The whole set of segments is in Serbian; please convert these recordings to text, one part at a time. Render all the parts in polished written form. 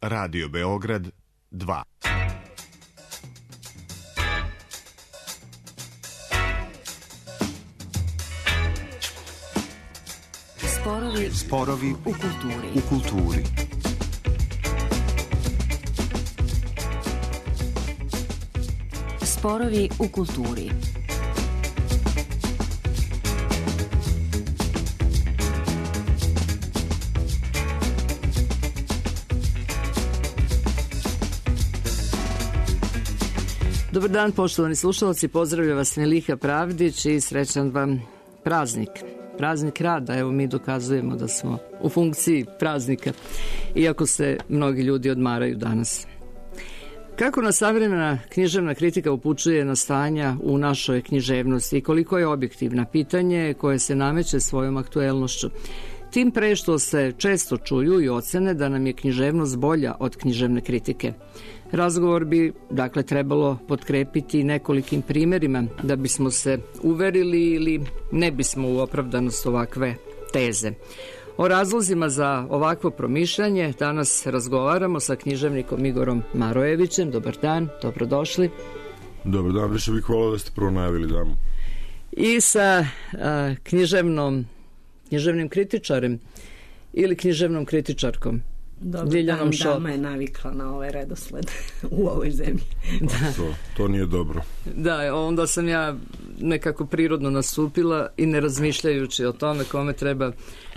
Radio Beograd 2. Sporovi u kulturi. Sporovi u kulturi. Dobar dan, poštovani slušalci, pozdravlja vas Miliha Pravdić i srećan vam praznik. Praznik rada, evo mi dokazujemo da smo u funkciji praznika, iako se mnogi ljudi odmaraju danas. Kako nas savremena književna kritika upućuje na stanja u našoj književnosti i koliko je objektivna, pitanje koje se nameće svojom aktuelnošću. Tim pre što se često čuju i ocene da nam je književnost bolja od književne kritike. Razgovor bi, dakle, trebalo potkrepiti nekolikim primjerima da bismo se uverili ili ne bismo u opravdanost ovakve teze. O razlozima za ovakvo promišljanje danas razgovaramo sa književnikom Igorom Marojevićem. Dobar dan, dobrodošli. Dobar dan, više bih volao da ste prvo najavili damu. I sa književnim kritičarem ili književnom kritičarkom. Dobar dan, dama je navikla na ovaj redosled u ovoj zemlji. Da. To nije dobro. Da, onda sam ja nekako prirodno nastupila i ne razmišljajući o tome kome treba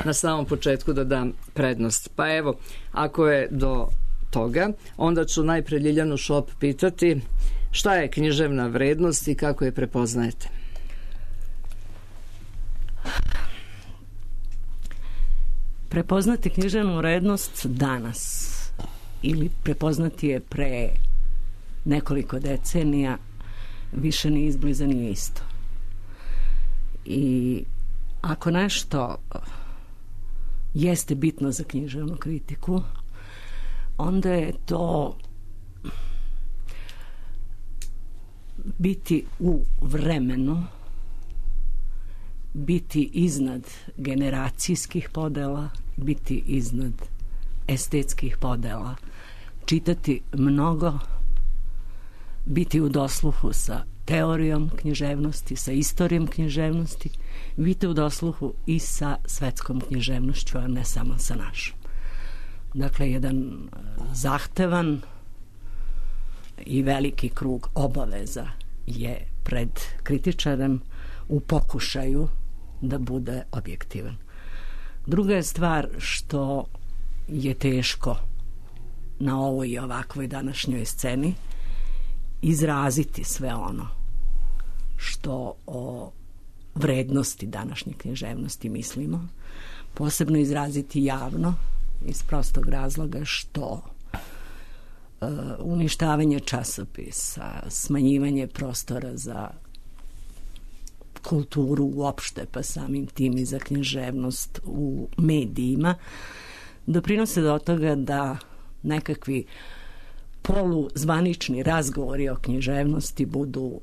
na samom početku da dam prednost. Pa evo, ako je do toga, onda ću najpre Ljiljanu Šop pitati šta je književna vrednost i kako je prepoznajete? Prepoznati književnu vrednost danas ili prepoznati je pre nekoliko decenija više ni izbliza nije isto. I ako nešto jeste bitno za književnu kritiku, onda je to biti u vremenu, biti iznad generacijskih podela, biti iznad estetskih podela, čitati mnogo, biti u dosluhu sa teorijom književnosti, sa istorijom književnosti, biti u dosluhu i sa svetskom književnošću, a ne samo sa našom. Dakle, jedan zahtevan i veliki krug obaveza je pred kritičarem u pokušaju da bude objektivan. Druga je stvar što je teško na ovoj i ovakvoj današnjoj sceni izraziti sve ono što o vrednosti današnje književnosti mislimo, posebno izraziti javno iz prostog razloga što uništavanje časopisa, smanjivanje prostora za kulturu uopšte, pa samim tim i za književnost u medijima, doprinose do toga da nekakvi poluzvanični razgovori o književnosti budu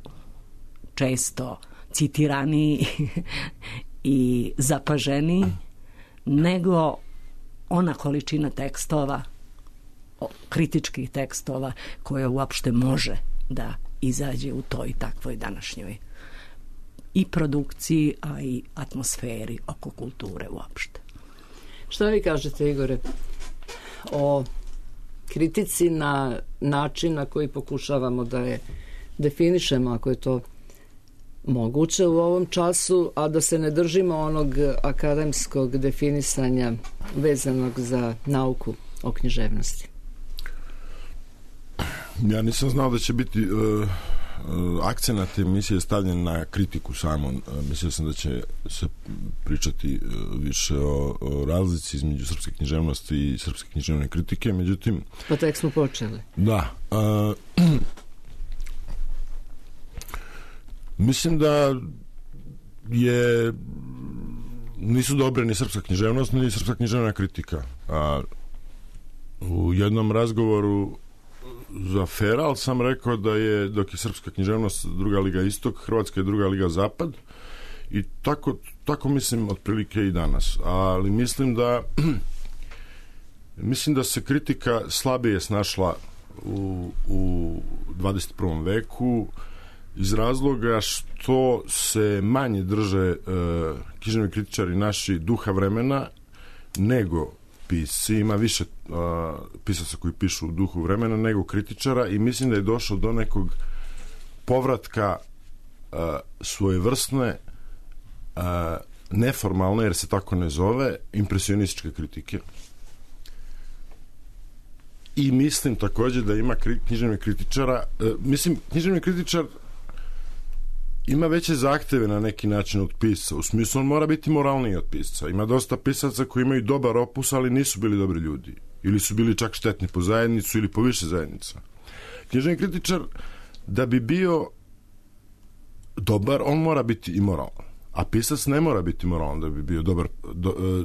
često citiraniji i zapaženiji nego ona količina tekstova, kritičkih tekstova koja uopšte može da izađe u toj takvoj današnjoj i produkciji, a i atmosferi oko kulture uopšte. Šta vi kažete, Igore, o kritici na način na koji pokušavamo da je definišemo, ako je to moguće u ovom času, a da se ne držimo onog akademskog definisanja vezanog za nauku o književnosti? Ja nisam znao da će biti akcenat emisije stavljen na kritiku samo. Mislio sam da će se pričati više o razlici između srpske književnosti i srpske književne kritike, međutim... Pa tek smo počeli. Da. Mislim da nisu dobre ni srpska književnost, ni srpska književna kritika. U jednom razgovoru za Feral sam rekao da je, dok je srpska književnost druga liga istok, Hrvatska je druga liga zapad, i tako mislim otprilike i danas. Ali mislim da Mislim da se kritika slabije snašla u 21. veku iz razloga što se manje drže književni kritičari naši duha vremena nego pisci. Ima više pisaca koji pišu u duhu vremena nego kritičara i mislim da je došlo do nekog povratka svojevrsne neformalne, jer se tako ne zove, impresionističke kritike. I mislim takođe da ima književnih kritičara, književni kritičar ima veće zahteve na neki način od pisca, u smislu on mora biti moralniji od pisca. Ima dosta pisaca koji imaju dobar opus, ali nisu bili dobri ljudi. Ili su bili čak štetni po zajednicu ili po više zajednica. Književni kritičar, da bi bio dobar, on mora biti i moralan. A pisac ne mora biti moralan da bi bio dobar,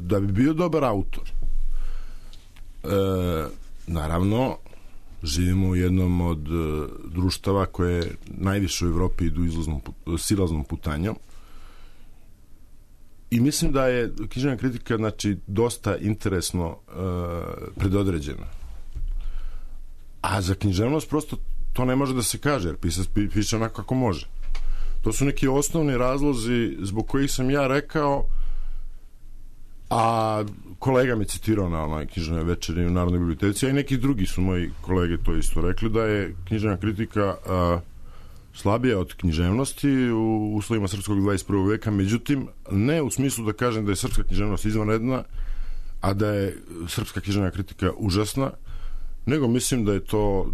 da bi bio dobar autor. Naravno, živimo u jednom od društava koje najviše u Evropi idu silaznom putanjom i mislim da je književna kritika dosta interesno predodređena. A za književnost prosto to ne može da se kaže, jer pisac piše onako kako može. To su neki osnovni razlozi zbog kojih sam ja rekao, a kolega me citirao na onoj književnoj večeri u Narodnoj biblioteci, a i neki drugi su moji kolege to isto rekli, da je književna kritika slabija od književnosti u uslovima srpskog 21. veka, međutim, ne u smislu da kažem da je srpska književnost izvanredna, a da je srpska književna kritika užasna, nego mislim da je to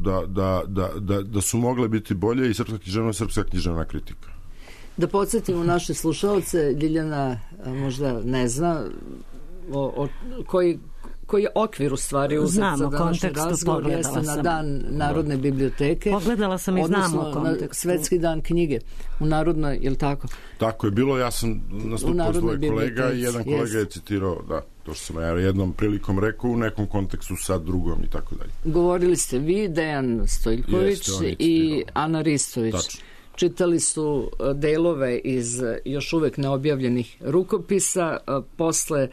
da su mogle biti bolje i srpska književnost, srpska književna kritika. Da podsjetimo naše slušalce, Ljiljana možda ne zna koji je okvir u stvari uzet za današnji razgovor, jeste na dan Narodne biblioteke. Pogledala sam i znam u kontekstu. Odnosno na Svetski dan knjige u Narodnoj, je li tako? Tako je bilo, ja sam nastupao s dvoje kolega i jedan kolega je citirao, da, to što sam ja jednom prilikom rekao, u nekom kontekstu sa drugom i tako dalje. Govorili ste vi, Dejan Stojljković i Ana Ristović. Tačno. Čitali su delove iz još uvek neobjavljenih rukopisa, posle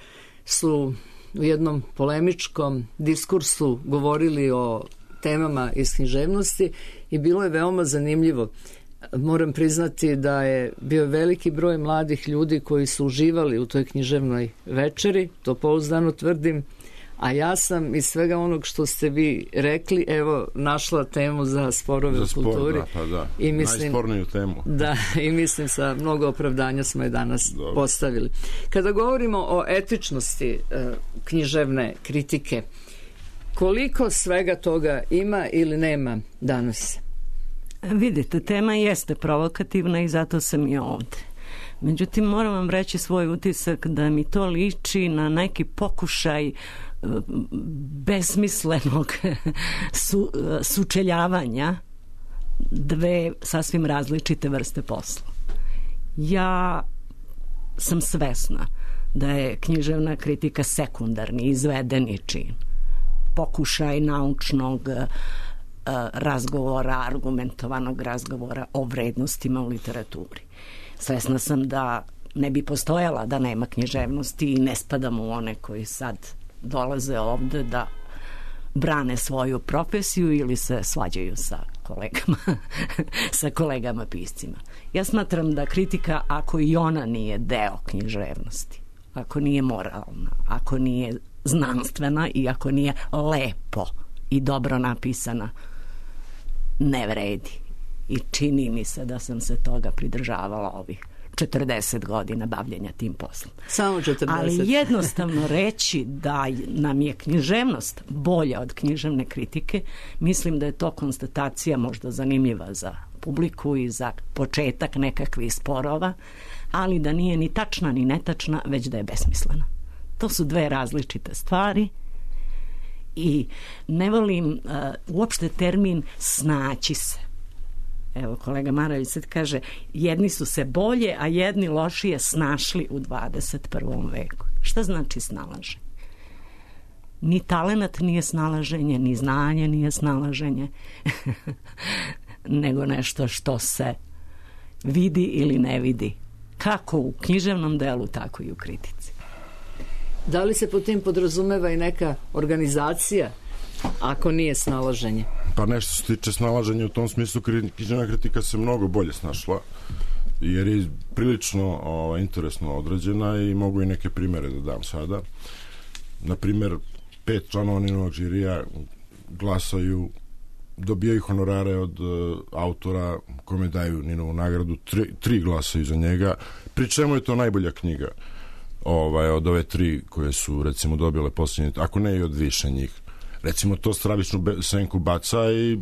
su u jednom polemičkom diskursu govorili o temama iz književnosti i bilo je veoma zanimljivo. Moram priznati da je bio veliki broj mladih ljudi koji su uživali u toj književnoj večeri, to pouzdano tvrdim, a ja sam iz svega onog što ste vi rekli, evo, našla temu za sporove u kulturi. I mislim, najsporniju temu. Da, i mislim sa mnogo opravdanja smo je danas postavili. Kada govorimo o etičnosti književne kritike, koliko svega toga ima ili nema danas? Vidite, tema jeste provokativna i zato sam i ovde. Međutim, moram vam reći svoj utisak da mi to liči na neki pokušaj besmislenog sučeljavanja dve sasvim različite vrste posla. Ja sam svesna da je književna kritika sekundarni, izvedeni čin. Pokušaj naučnog razgovora, argumentovanog razgovora o vrednostima u literaturi. Svesna sam da ne bi postojala da nema književnosti i ne spadam u one koji sad dolaze ovde da brane svoju profesiju ili se svađaju sa kolegama piscima. Ja smatram da kritika, ako i ona nije deo književnosti, ako nije moralna, ako nije znanstvena i ako nije lepo i dobro napisana, ne vredi. I čini mi se da sam se toga pridržavala ovih 40 godina bavljenja tim poslom. Samo 40. Ali jednostavno reći da nam je književnost bolja od književne kritike, mislim da je to konstatacija možda zanimljiva za publiku i za početak nekakvih sporova, ali da nije ni tačna ni netačna, već da je besmislena. To su dve različite stvari i ne volim uopšte termin snaći se. Evo, kolega Marović sad kaže, jedni su se bolje, a jedni lošije snašli u 21. veku. Šta znači snalaženje? Ni talenat nije snalaženje, ni znanje nije snalaženje, nego nešto što se vidi ili ne vidi. Kako u književnom delu, tako i u kritici. Da li se po tim podrazumeva i neka organizacija, ako nije snalaženje? Pa nešto se tiče snalaženja u tom smislu, književna kritika se mnogo bolje snašla, jer je prilično interesno određena i mogu i neke primere da dam sada. Na primer, 5 članova Ninovog žirija glasaju, dobijaju honorare od autora kome daju Ninovu nagradu, 3 glasaju za njega, pri čemu je to najbolja knjiga od ove 3 koje su recimo dobile posljednje, ako ne i od više njih. Recimo to stravičnu senku baca i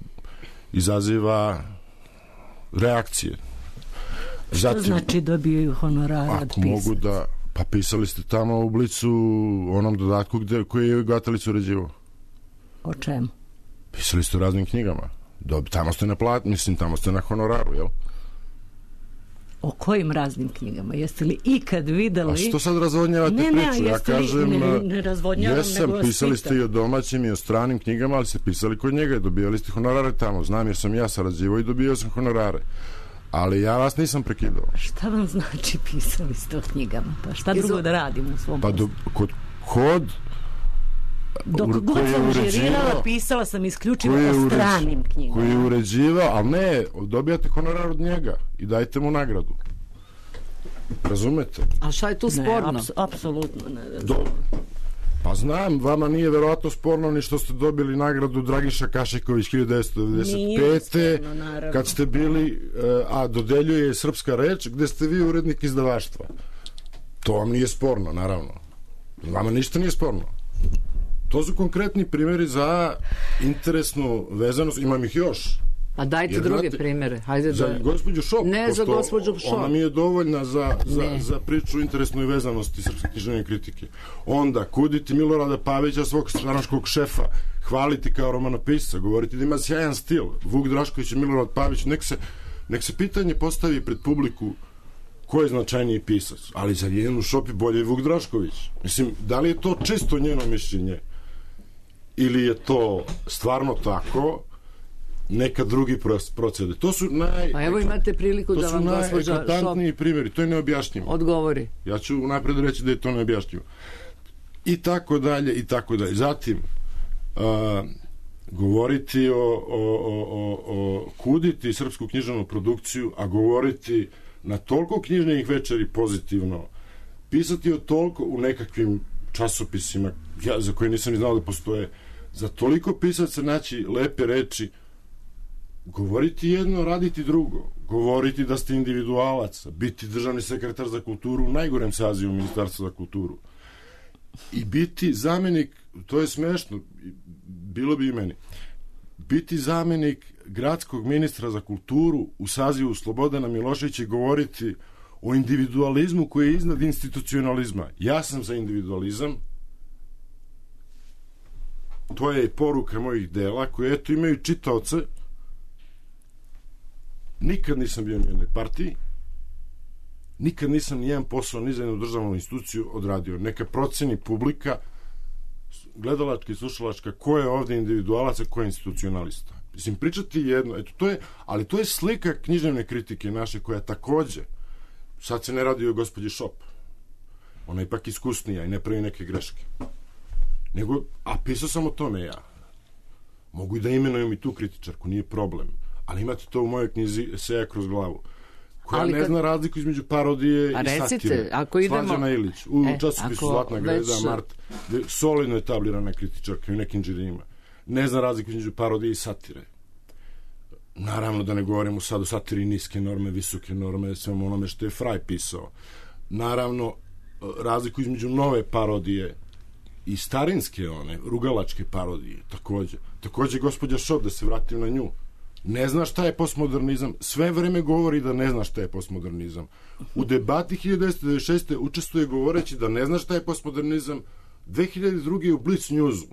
izaziva reakcije. Što znači dobijaju honorare od pisaca? Ako mogu da, pa pisali ste tamo u Blicu onom dodatku koji je Gatalić uređivao. O čemu? Pisali ste u raznim knjigama. Tamo ste na tamo ste na honoraru, jel? O kojim raznim knjigama? Jeste li ikad videli... A što sad razvodnjavate priču? Ja kažem, ne razvodnjavam, jesam, pisali ste i o domaćim i o stranim knjigama, ali ste pisali kod njega i dobijali ste honorare tamo. Znam jer sam ja sarađivao i dobijao sam honorare. Ali ja vas nisam prekidao. Šta vam znači pisali ste o knjigama? Pa šta drugo da radim u svom poslu? Dok god sam žirirala, pisala sam isključivo o stranim knjigama. Koji je uređivao, ali ne, dobijate honorar od njega i dajte mu nagradu. Razumete? A šta je tu sporno? Ne, apsolutno ne. Pa znam, vama nije verovatno sporno ni što ste dobili nagradu Dragiša Kašiković 1995. Kad ste bili, a dodeljuje Srpska reč, gde ste vi urednik izdavaštva. To vam nije sporno, naravno. Vama ništa nije sporno. To su konkretni primjeri za interesnu vezanost. Imam ih još. A dajte druge primjere. Hajde za gospođu Šop. Ne za gospođu Šop. Ona mi je dovoljna za priču interesnoj vezanosti srpske književne kritike. Onda kuditi Milorada Pavića, svog stranačkog šefa, hvaliti kao romanopisca, govoriti da ima sjajan stil. Vuk Drašković i Milorad Pavić. Nek se pitanje postavi pred publiku ko je značajniji pisac. Ali za Jelenu Šop je bolje Vuk Drašković. Mislim, da li je to čisto njeno mišljenje ili je to stvarno tako, neka drugi procede. To su Pa evo imate priliku da vam gospođa Šop... To su najeklatantniji primjeri, to je neobjašnjivo. Odgovori. Ja ću napred reći da je to neobjašnjivo. I tako dalje, i tako dalje. Zatim, govoriti o kuditi srpsku književnu produkciju, a govoriti na toliko književnih večeri pozitivno, pisati o toliko u nekakvim časopisima za koje nisam ni znao da postoje, za toliko pisaca naći lepe reči, govoriti jedno, raditi drugo, govoriti da ste individualac, biti državni sekretar za kulturu u najgorem sazivu Ministarstva za kulturu i biti zamenik, to je smešno, bilo bi i meni, biti zamenik gradskog ministra za kulturu u sazivu Slobodana Miloševića i govoriti o individualizmu koji je iznad institucionalizma. Ja sam za individualizam, to je i poruka mojih dela koje eto imaju čitaoce. Nikad nisam bio ni u jednoj partiji, nikad nisam nijedan posao ni za jednu državnu instituciju odradio. Neka proceni publika, gledalačka i slušalačka, ko je ovde individualac, a ko je institucionalista. Mislim, pričati jedno, eto, to je, ali to je slika književne kritike naše koja takođe, sad se ne radi o gospođi Šop, ona je ipak iskusnija i ne pravi neke greške. Nego, a pisao sam o tome ja. Mogu i da imenujem i tu kritičarku, nije problem. Ali imate to u mojoj knjizi Eseja kroz glavu, koja ne zna razliku između parodije i satire. Slađana Ilić, u časopisu Zlatna greda, Mart, solidno etablirana kritičarka u nekim džirima. Ne zna razliku između parodije i satire. Naravno da ne govorimo sad o satiri niske norme, visoke norme, svemu onome što je Fraj pisao. Naravno, razliku između nove parodije i starinske one, rugalačke parodije, takođe gospođa Šop, da se vratim na nju, ne zna šta je postmodernizam, sve vreme govori da ne zna šta je postmodernizam. U debati 1996. učestvuje govoreći da ne zna šta je postmodernizam. 2002. u Blitz Newsu.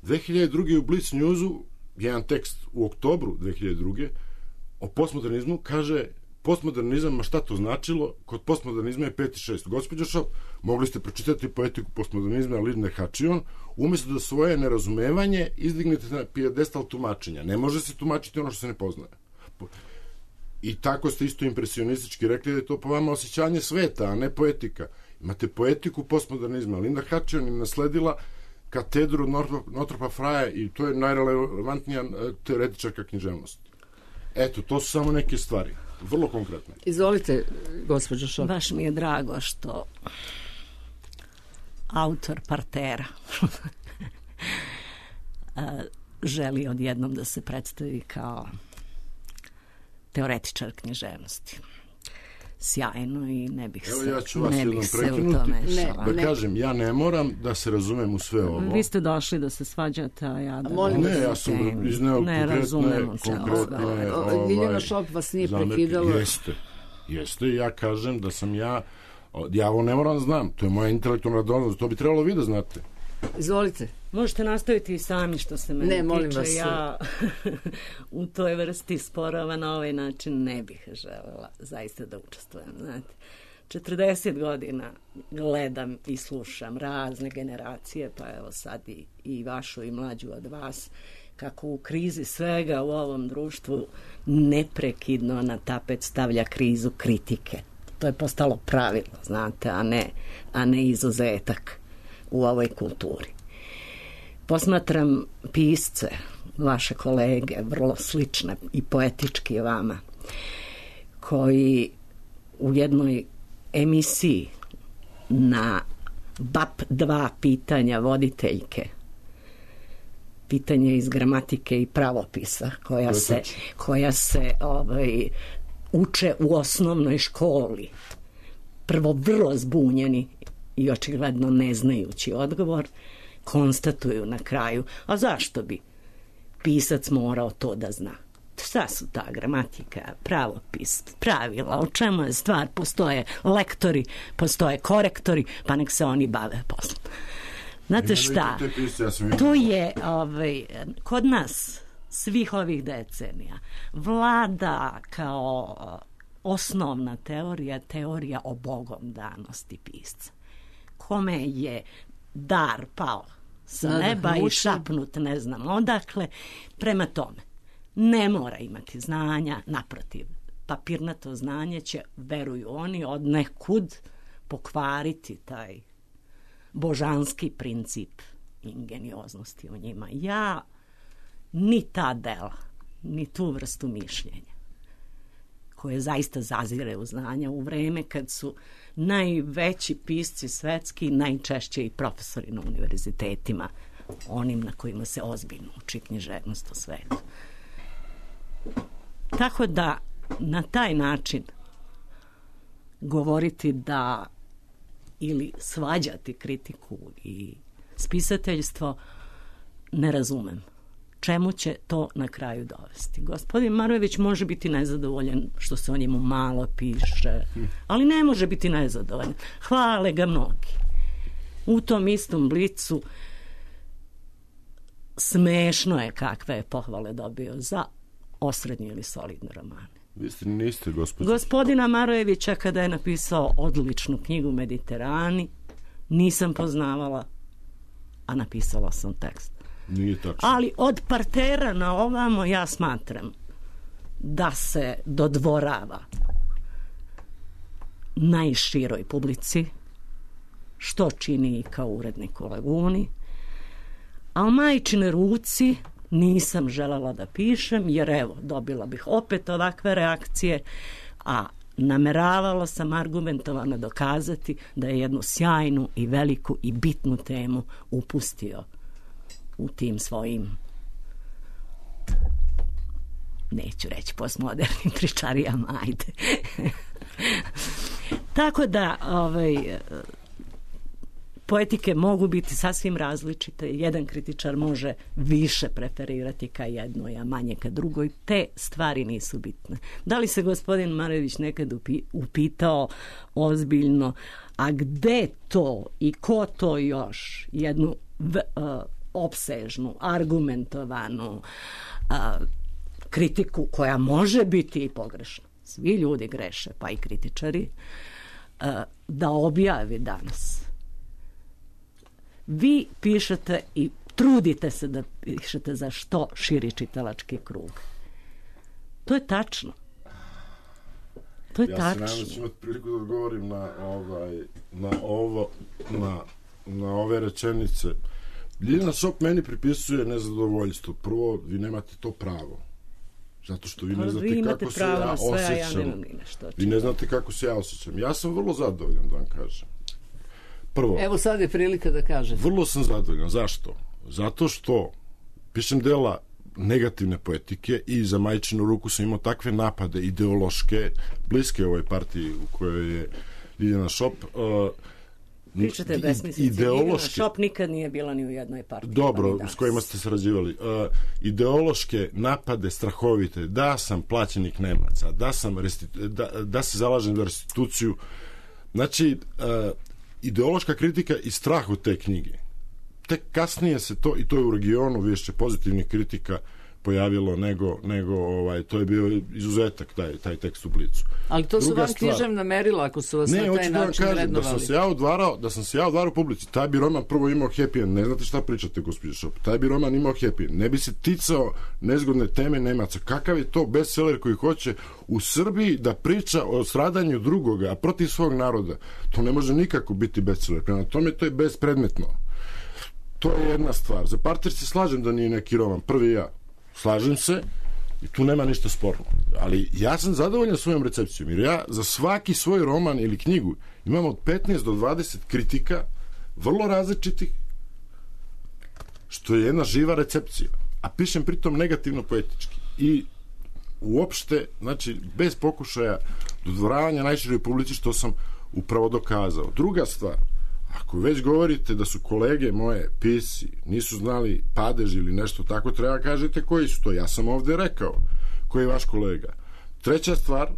2002. u Blitz Newsu jedan tekst u oktobru 2002. o postmodernizmu kaže postmodernizam, a šta to značilo? Kod postmodernizma je 5 i 6. Gospođo Šop, mogli ste pročitati poetiku postmodernizma Lidne Hačion, umjesto da svoje nerazumevanje izdignete na pijedestal tumačenja. Ne može se tumačiti ono što se ne poznaje. I tako ste isto impresionistički rekli da je to po vama osjećanje sveta, a ne poetika. Imate poetiku postmodernizma. Linda Hutchison je nasledila katedru Northrop Frya i to je najrelevantnija teoretičarka književnosti. Eto, to su samo neke stvari. Vrlo konkretne. Izvolite, gospođo Šop. Baš mi je drago što autor Partera želi odjednom da se predstavi kao teoretičar književnosti. Sjajno i ne bih se, ja ću vas jednom u prekinuti, to mešala. da kažem, ja ne moram da se razumem u sve ovo. Vi ste došli da se svađate, a ja da... Ne, ja sam izneo konkretne Ljiljana Šop vas nije prekidala. Jeste, ja kažem da sam ja ovo ne moram da znam, to je moja intelektualna radovnost, to bi trebalo vi da znate. Izvolite. Možete nastaviti i sami što se mene tiče. Molim vas. Ja u toj vrsti sporova na ovaj način ne bih želela zaista da učestvujem. Znate, 40 godina gledam i slušam razne generacije, pa evo sad i vašu i mlađu od vas, kako u krizi svega u ovom društvu neprekidno na tapet stavlja krizu kritike. To je postalo pravilo, znate, a ne izuzetak u ovoj kulturi. Posmatram pisce, vaše kolege, vrlo slične i poetički vama, koji u jednoj emisiji na BAP 2 pitanja voditeljke, pitanje iz gramatike i pravopisa, koja se uče u osnovnoj školi, prvo vrlo zbunjeni i očigledno ne znajući odgovor, konstatuju na kraju, a zašto bi pisac morao to da zna? Šta su ta gramatika, pravopis, pravila, o čemu je stvar? Postoje lektori, postoje korektori, pa nek se oni bave poslom. Znate šta? To je kod nas svih ovih decenija vlada kao osnovna teorija o bogom danosti pisca. Kome je dar pao sa neba i šapnut ne znam odakle. Prema tome, ne mora imati znanja, naprotiv, papirnato znanje će, veruju oni, od nekud pokvariti taj božanski princip ingenioznosti u njima. Ja ni ta dela, ni tu vrstu mišljenja, koje zaista zazire u znanja u vreme kad su najveći pisci svetski, najčešće i profesori na univerzitetima, onim na kojima se ozbiljno uči književnost u svetu. Tako da na taj način govoriti da ili svađati kritiku i spisateljstvo ne razumem. Čemu će to na kraju dovesti? Gospodin Marojević može biti nezadovoljan što se o njemu malo piše, ali ne može biti nezadovoljan. Hvale ga mnogi. U tom istom Blicu smešno je kakve je pohvale dobio za osrednje ili solidne romane. Vi niste, gospodina Marojevića kada je napisao odličnu knjigu Mediterani, nisam poznavala, a napisala sam tekst. Nije tačno. Ali od Partera na ovamo ja smatram da se dodvorava najširoj publici, što čini i kao urednik u Laguni, a u majčine ruci nisam želela da pišem, jer evo, dobila bih opet ovakve reakcije, a nameravala sam argumentovano dokazati da je jednu sjajnu i veliku i bitnu temu upustio u tim svojim, neću reći postmodernim tričarijama, ajde. Tako da poetike mogu biti sasvim različite. Jedan kritičar može više preferirati ka jednoj, a manje ka drugoj. Te stvari nisu bitne. Da li se gospodin Marojević nekad upitao ozbiljno, a gde to i ko to još jednu opsežnu, argumentovanu kritiku koja može biti i pogrešna. Svi ljudi greše, pa i kritičari, da objavi danas. Vi pišete i trudite se da pišete za što širi čitalački krug. To je tačno. To je Ja tačno. se nadam da ću imati priliku da odgovorim na ove rečenice. Ljiljana Šop meni pripisuje nezadovoljstvo. Prvo, vi nemate to pravo. Zato što vi ne znate kako se ja osjećam. Vi ne znate kako se ja osjećam. Ja sam vrlo zadovoljan, da vam kažem. Prvo, Evo sad je prilika da kažete. vrlo sam zadovoljan. Zašto? Zato što pišem dela negativne poetike i za majčinu ruku sam imao takve napade ideološke, bliske ovoj partiji u kojoj je Ljiljana Šop. Pričate besmislice. Ljiljana Šop nikad nije bila ni u jednoj partiji. Dobro, s kojima ste sarađivali. Ideološke napade strahovite, da sam plaćenik Nemaca, da se zalažem za restituciju. Znači, ideološka kritika i strah od te knjige. Tek kasnije se to, i to je u regionu više pozitivnih kritika pojavilo nego to je bio izuzetak taj tekst u Blicu. Ali to su vam književna merila ako su vas na taj način vrednovali. Da sam se ja odvarao publici, taj bi roman prvo imao happy end, ne znate šta pričate, gospođo Šop, taj bi roman imao happy end, ne bi se ticao nezgodne teme Nemaca. Kakav je to bestseller koji hoće u Srbiji da priča o stradanju drugoga, a protiv svog naroda? To ne može nikako biti bestseller, prema tome to je bespredmetno. To je jedna stvar. Za Parter se slažem da nije neki roman, prvi ja. Slažem se i tu nema ništa sporno. Ali ja sam zadovoljan svojom recepcijom, jer ja za svaki svoj roman ili knjigu imam od 15 do 20 kritika, vrlo različitih, što je jedna živa recepcija. A pišem pritom negativno poetički. I uopšte, znači, bez pokušaja dodvoravanja najširoj publici, što sam upravo dokazao. Druga stvar, ako već govorite da su kolege moje pisci nisu znali padež ili nešto tako, treba kažete koji su to. Ja sam ovde rekao koji je vaš kolega. Treća stvar,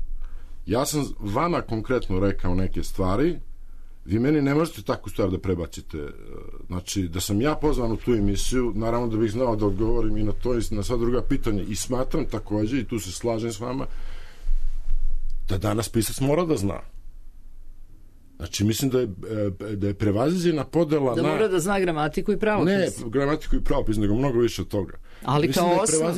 ja sam vama konkretno rekao neke stvari, vi meni ne možete takvu stvar da prebacite. Znači, da sam ja pozvan u tu emisiju, naravno da bih znao da odgovorim i na to i na sva druga pitanja. I smatram takođe, i tu se slažem s vama, da danas pisac mora da zna. Znači, mislim da je prevaziđena podela da mora da zna gramatiku i pravopis. Ne, gramatiku i pravopis, nego mnogo više od toga. Ali mislim kao osnov.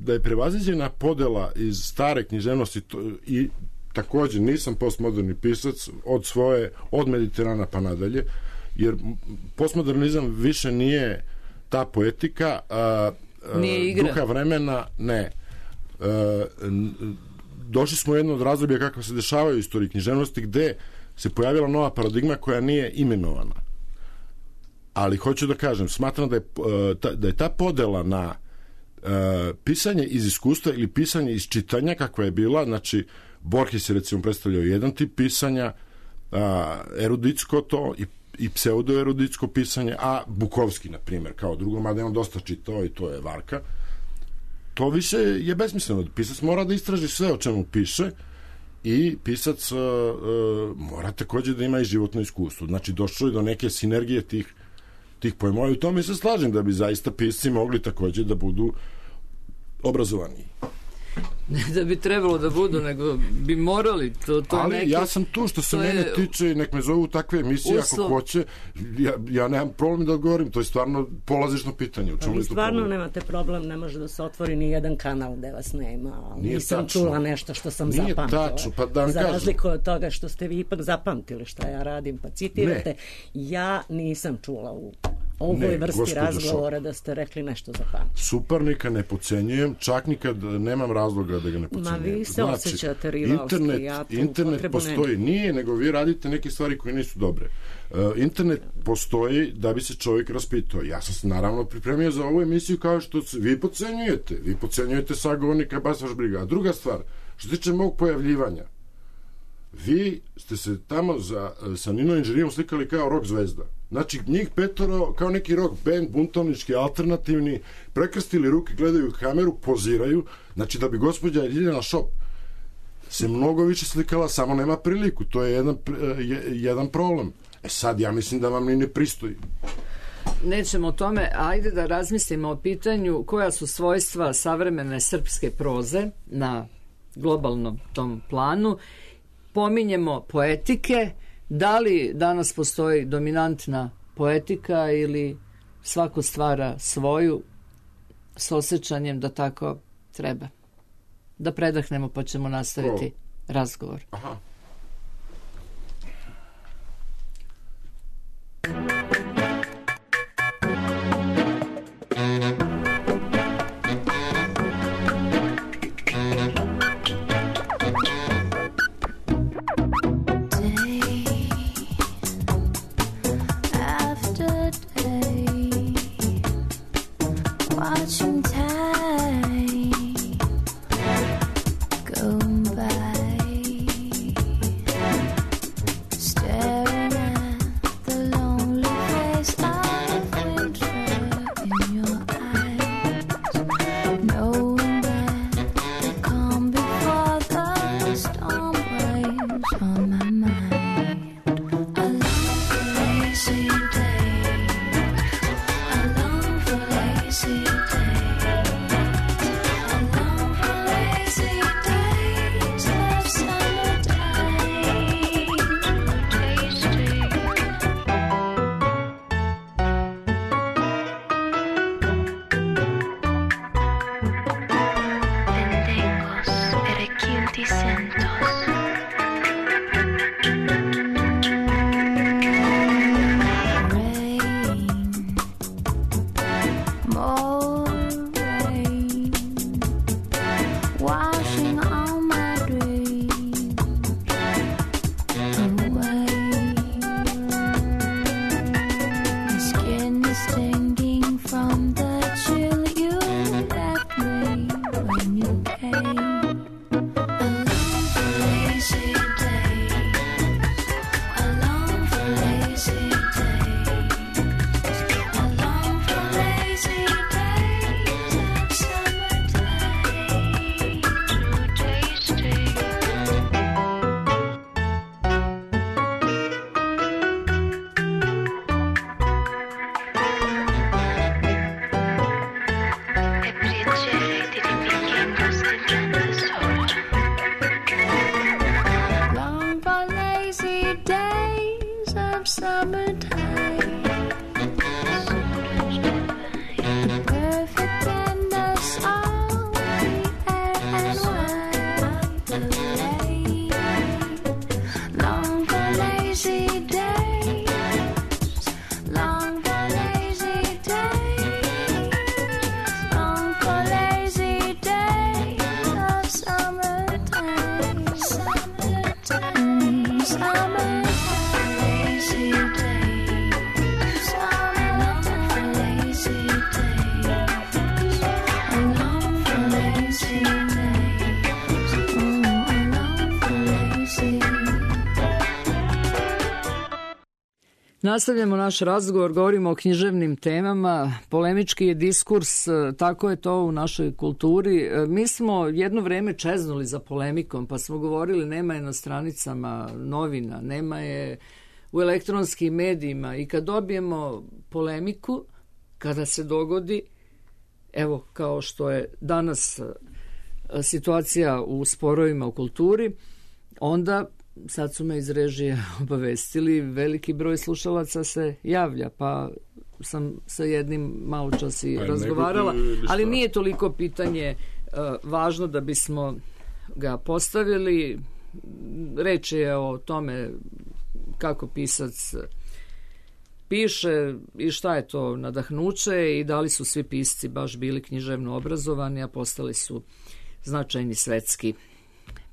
Da je prevaziđena podela iz stare književnosti i takođe nisam postmoderni pisac od Mediterana pa nadalje, jer postmodernizam više nije ta poetika, nije igra. Duha vremena, ne. Došli smo u jedno od razdoblja kako se dešavaju u istoriji književnosti, gde se pojavila nova paradigma koja nije imenovana. Ali hoću da kažem, smatram da je ta podela na pisanje iz iskustva ili pisanje iz čitanja, kakva je bila, znači Borges je recimo predstavljao jedan tip pisanja, eruditsko to i pseudoeruditsko pisanje, a Bukovski, na primjer, kao drugo, mada je on dosta čitao i to je Varka. To više je besmisleno. Pisac mora da istraži sve o čemu piše i pisac mora takođe da ima i životno iskustvo. Znači, došlo je do neke sinergije tih pojmova i u tome se slažem da bi zaista pisci mogli takođe da budu obrazovani. Ne da bi trebalo da budu, nego bi morali. Ali neki, ja sam tu što se mene tiče, nek me zovu takve emisije ako hoće, ja nemam problem da odgovorim, to je stvarno polazišno pitanje. Vi stvarno nemate problem, ne može da se otvori ni jedan kanal gde vas nema. Nisam čula nešto što sam zapamtila. Za razliku od toga što ste vi ipak zapamtili šta ja radim, pa citirate. Ja nisam čula u ovoj vrsti razgovora da ste rekli nešto zapamtili. Suparnika ne pocenjujem, čak nikad nemam razloga da ga ne pocenjujem. Ma vi se osjećate rivalski, ja tu internet postoji, nije, nego vi radite neke stvari koje nisu dobre. Internet postoji da bi se čovjek raspitao. Ja sam se naravno pripremio za ovu emisiju kao što vi pocenjujete sagovornika, baš vaš briga. A druga stvar, što se tiče mog pojavljivanja, vi ste se tamo sa Nino Inženijom slikali kao rock zvezda. Znači, njih petoro, kao neki rock band, buntovnički, alternativni, prekrstili ruke, gledaju kameru, poziraju. Znači, da bi gospođa Ljiljana Šop se mnogo više slikala, samo nema priliku. To je jedan problem. Sad, ja mislim da vam ni ne pristoji. Nećemo o tome, ajde da razmislimo o pitanju koja su svojstva savremene srpske proze na globalnom tom planu. Pominjemo poetike. Da li danas postoji dominantna poetika ili svako stvara svoju s osjećanjem da tako treba? da predahnemo pa ćemo nastaviti razgovor. Aha. Watching time go by, staring at the lonely face of winter in your eyes, knowing that the calm before the storm weighs on my mind. I long for lazy days, I long for lazy days. Nastavljamo naš razgovor, govorimo o književnim temama, polemički je diskurs, tako je to u našoj kulturi. Mi smo jedno vreme čeznuli za polemikom, pa smo govorili nema je na stranicama novina, nema je u elektronskim medijima i kad dobijemo polemiku, kada se dogodi, evo kao što je danas situacija u sporovima u kulturi, onda sad su me iz režije obavestili, veliki broj slušalaca se javlja, pa sam sa jednim malo čas i razgovarala, ali nije toliko pitanje važno da bismo ga postavili. Reč je o tome kako pisac piše i šta je to nadahnuće i da li su svi pisci baš bili književno obrazovani, a postali su značajni svetski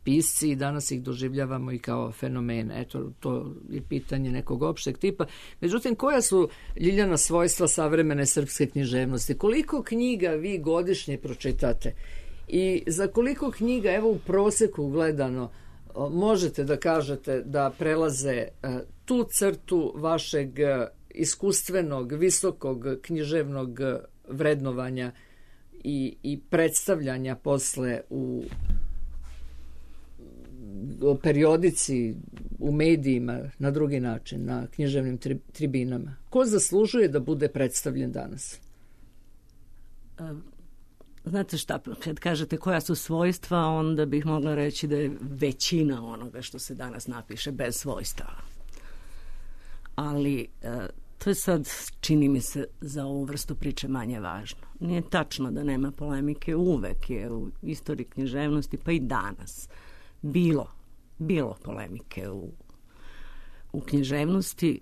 pisci i danas ih doživljavamo i kao fenomene. Eto, to je pitanje nekog opšteg tipa. Međutim, koja su, Ljiljana, svojstva savremene srpske književnosti? Koliko knjiga vi godišnje pročitate? I za koliko knjiga, evo u proseku gledano, možete da kažete da prelaze tu crtu vašeg iskustvenog, visokog književnog vrednovanja i predstavljanja posle u periodici, u medijima, na drugi način, na književnim tribinama? Ko zaslužuje da bude predstavljen danas? Znate šta, kad kažete koja su svojstva, onda bih mogla reći da je većina onoga što se danas napiše bez svojstava. Ali To je sad, čini mi se, za ovu vrstu priče manje važno. Nije tačno da nema polemike, uvek je u istoriji književnosti, pa i danas bilo polemike u književnosti,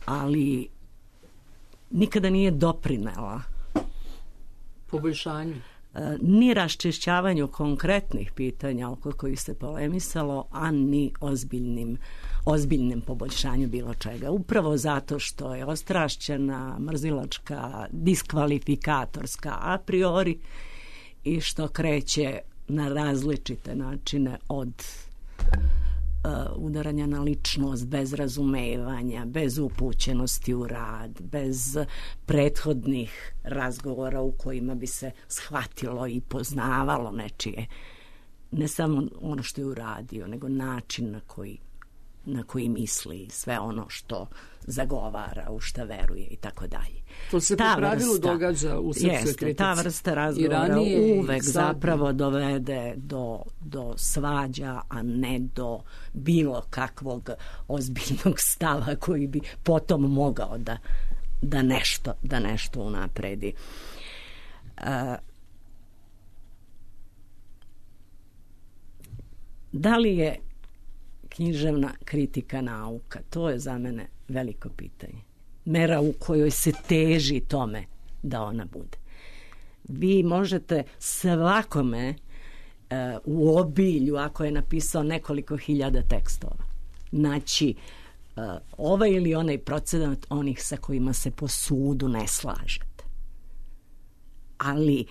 ali nikada nije doprinela Poboljšanju. ni raščišćavanju konkretnih pitanja oko kojih se polemisalo, a ni ozbiljnim poboljšanju bilo čega. Upravo zato što je ostrašćena, mrzilačka, diskvalifikatorska a priori i što kreće na različite načine od udaranja na ličnost, bez razumevanja, bez upućenosti u rad, bez prethodnih razgovora u kojima bi se shvatilo i poznavalo nečije, ne samo ono što je uradio, nego način na koji misli, sve ono što zagovara, u šta veruje i tako dalje. To se po pravilu događa u srpskoj kritici. Ta vrsta razgovora uvek zapravo dovede do svađa, a ne do bilo kakvog ozbiljnog stava koji bi potom mogao da nešto unapredi. Da li je književna kritika nauka? To je za mene veliko pitanje. Mera u kojoj se teži tome da ona bude. Vi možete svakome u obilju, ako je napisao nekoliko hiljada tekstova, naći ovaj ili onaj procenat onih sa kojima se po sudu ne slažete. Ali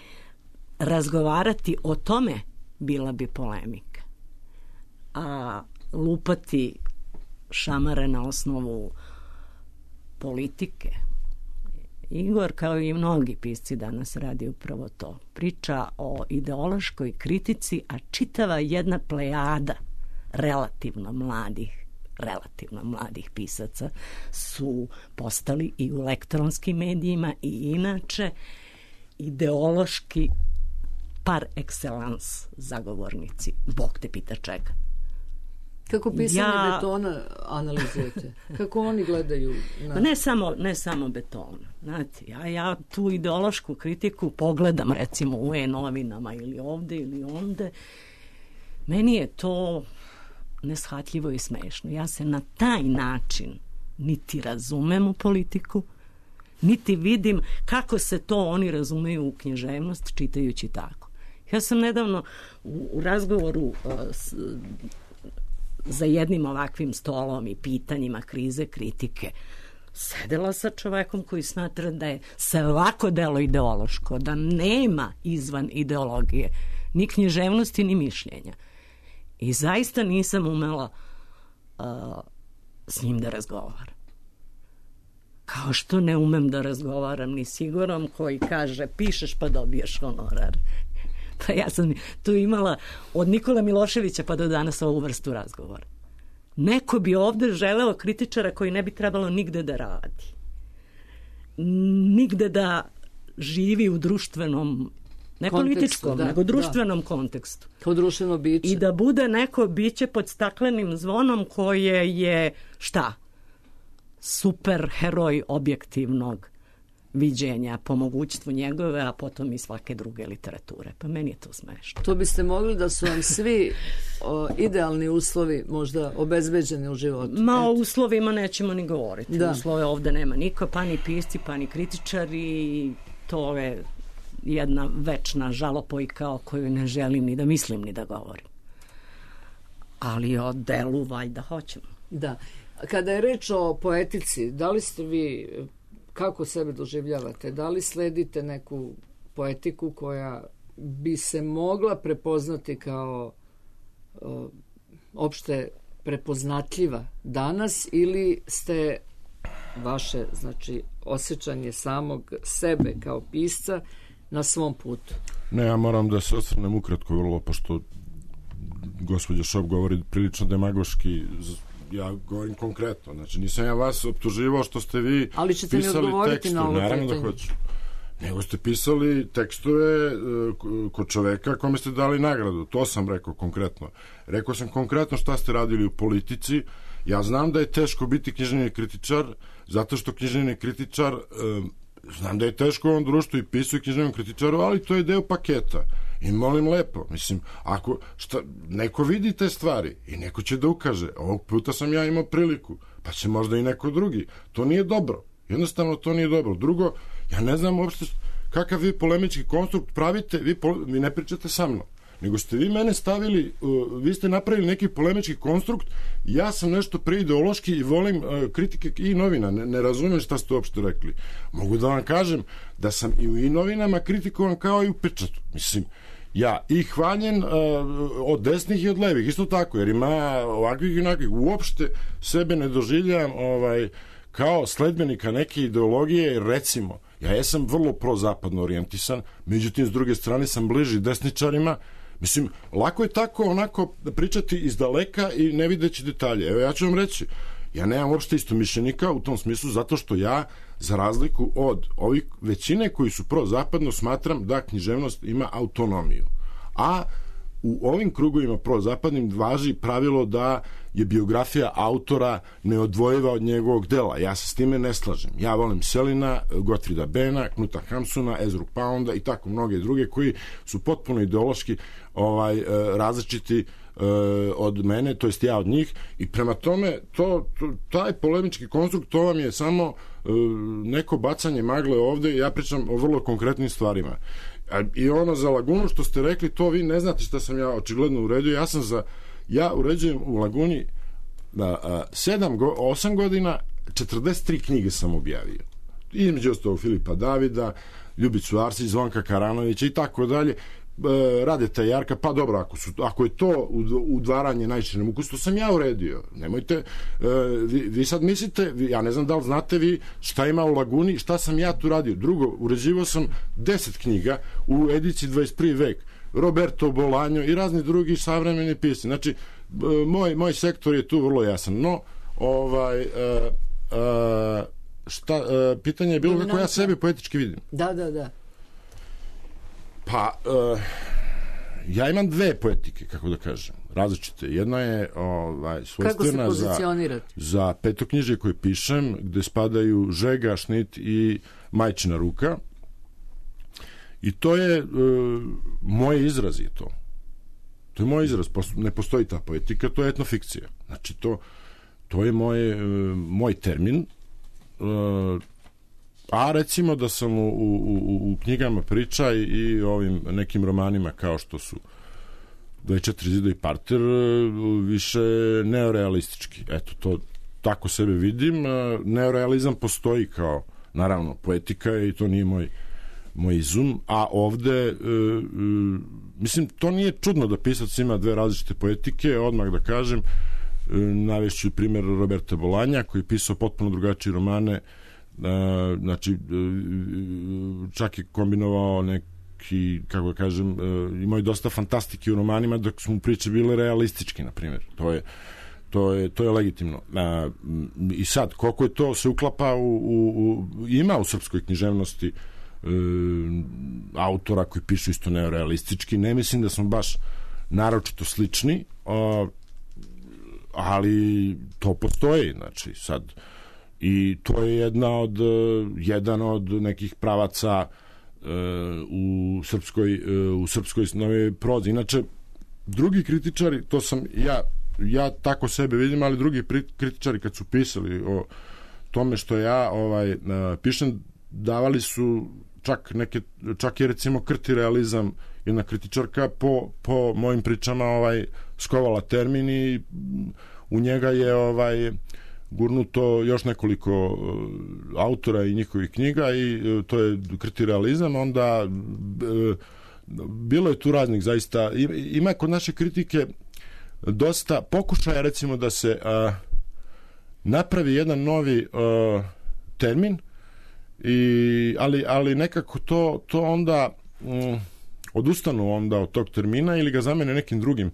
razgovarati o tome bila bi polemika. A lupati šamare na osnovu politike. Igor, kao i mnogi pisci danas, radi upravo to. Priča o ideološkoj kritici, a čitava jedna plejada relativno mladih pisaca su postali i u elektronskim medijima i inače ideološki par excellence zagovornici. Bog te pita čega. Kako pisanje betona analizujete? Kako oni gledaju? Ne samo betona. Znate, ja tu ideološku kritiku pogledam recimo u e-novinama ili ovde ili onde. Meni je to neshvatljivo i smešno. Ja se na taj način niti razumem u politiku, niti vidim kako se to oni razumeju u književnost čitajući tako. Ja sam nedavno u razgovoru za jednim ovakvim stolom i pitanjima krize, kritike, sedela sa čovekom koji smatra da je svako delo ideološko, da nema izvan ideologije ni književnosti ni mišljenja. I zaista nisam umela s njim da razgovaram. Kao što ne umem da razgovaram ni s Igorom koji kaže pišeš pa dobiješ honorar. Pa ja sam tu imala od Nikola Miloševića pa do danas ovu vrstu razgovora. Neko bi ovde želeo kritičara koji ne bi trebalo nigde da radi. Nigde da živi u društvenom, ne političkom, nego društvenom kontekstu. Kao društveno biće. I da bude neko biće pod staklenim zvonom koje je, šta? Super heroj objektivnog viđenja po mogućstvu njegove, a potom i svake druge literature. Pa meni je to smešno. To biste mogli da su vam svi idealni uslovi možda obezbeđeni u životu? O uslovima nećemo ni govoriti. Uslove ovde nema niko, pa ni pisci, pa ni kritičari. To je jedna večna žalopojka o kojoj ne želim ni da mislim ni da govorim. Ali o delu valjda hoćemo. Da. Kada je reč o poetici, da li ste vi, kako sebe doživljavate, da li sledite neku poetiku koja bi se mogla prepoznati kao opšte prepoznatljiva danas, ili ste vaše, znači, osjećanje samog sebe kao pisca na svom putu? Ne, ja moram da se osvrnem ukratko vrlo, pošto gospođa Šop govori prilično demagoški. Ja govorim konkretno, znači nisam ja vas optuživao što ste vi pisali tekstove, naravno da hoću, nego ste pisali tekstove kod čoveka kome ste dali nagradu, to sam rekao konkretno. Rekao sam konkretno šta ste radili u politici Ja znam da je teško biti književni kritičar, zato što književni kritičar, znam da je teško u ovom društvu i pisao književnom kritičaru, ali to je deo paketa. I molim lepo, mislim, ako neko vidi te stvari i neko će da ukaže, ovog puta sam ja imao priliku, pa će možda i neko drugi. To nije dobro. Jednostavno to nije dobro. Drugo, ja ne znam uopšte kakav vi polemički konstrukt pravite, vi ne pričate sa mnom, nego ste vi mene stavili, vi ste napravili neki polemički konstrukt, ja sam nešto preideološki i volim kritike i novina, ne razumijem šta ste uopšte rekli. Mogu da vam kažem da sam i u novinama kritikovan kao i u pečatu. Mislim, ja i hvaljen od desnih i od levih, isto tako, jer ima ovakvih i onakvih. Uopšte sebe ne doživljam kao sledbenika neke ideologije, recimo, ja jesam vrlo prozapadno orijentisan, međutim, s druge strane sam bliži desničarima. Mislim, lako je tako onako pričati iz daleka i ne videći detalje. Evo, ja ću vam reći, ja nemam uopšte istomišljenika u tom smislu, zato što ja, za razliku od ovih većine koji su prozapadno, smatram da književnost ima autonomiju. A u ovim krugovima prozapadnim važi pravilo da je biografija autora neodvojiva od njegovog dela. Ja se s time ne slažem. Ja volim Selina, Gottfrieda Bena, Knuta Hamsuna, Ezru Pounda i tako mnoge druge koji su potpuno ideološki različiti od mene, to jest ja od njih, i prema tome taj polemički konstrukt, to vam je samo neko bacanje magle ovde. Ja pričam o vrlo konkretnim stvarima. I ono za Lagunu što ste rekli, to vi ne znate šta sam ja očigledno uredio. Ja uređujem u Laguni 8 godina 43 knjige sam objavio. Između ostalog Filipa Davida, Ljubicu Arsić, Zvonka Karanovića i tako dalje, Radeta Jarka. Pa dobro, ako je to udvaranje najširem ukusu, to sam ja uredio. Nemojte, vi sad mislite, ja ne znam da li znate vi šta ima u Laguni, šta sam ja tu radio. Drugo, uređivao sam 10 knjiga u ediciji 21. vek, Roberto Bolaño i razni drugi savremeni pisci. Znači, moj sektor je tu vrlo jasan. No, pitanje je bilo kako ja sebe poetički vidim. Da. Pa, ja imam dve poetike, kako da kažem, različite. Jedna je svojstvena za petoknjižje koje pišem, gde spadaju Žega, Šnit i Majčina ruka. I to je moj izraz je to. To je moj izraz, ne postoji ta poetika, to je etnofikcija. Znači, to je moj termin. A recimo da sam u knjigama priča i ovim nekim romanima kao što su 24 zida i parter više neorealistički. Eto, to tako sebe vidim. Neorealizam postoji kao, naravno, poetika i to nije moj izum, a ovde mislim, to nije čudno da pisac ima dve različite poetike, odmah da kažem. Navešću primjer Roberta Bolaña koji je pisao potpuno drugačije romane. Znači, čak je kombinovao neki, kako da kažem, imao je dosta fantastike u romanima dok su mu priče bile realističke, na primjer. To je legitimno. I sad, koliko je to se uklapa ima u srpskoj književnosti autora koji pišu isto neorealistički. Ne mislim da smo baš naročito slični, ali to postoji. Znači, sad, i to je jedan od nekih pravaca u srpskoj novoj prozi. Inače, drugi kritičari, to sam ja tako sebe vidim, ali drugi kritičari kad su pisali o tome što ja pišem, davali su čak je recimo Krti realizam, jedna kritičarka po mojim pričama skovala termin i u njega je gurnuto još nekoliko autora i njihovih knjiga i to je Krti realizam. Onda bilo je tu raznih zaista, ima kod naše kritike dosta pokušaja recimo da se napravi jedan novi termin, ali nekako to onda odustanu onda od tog termina ili ga zamene nekim drugim,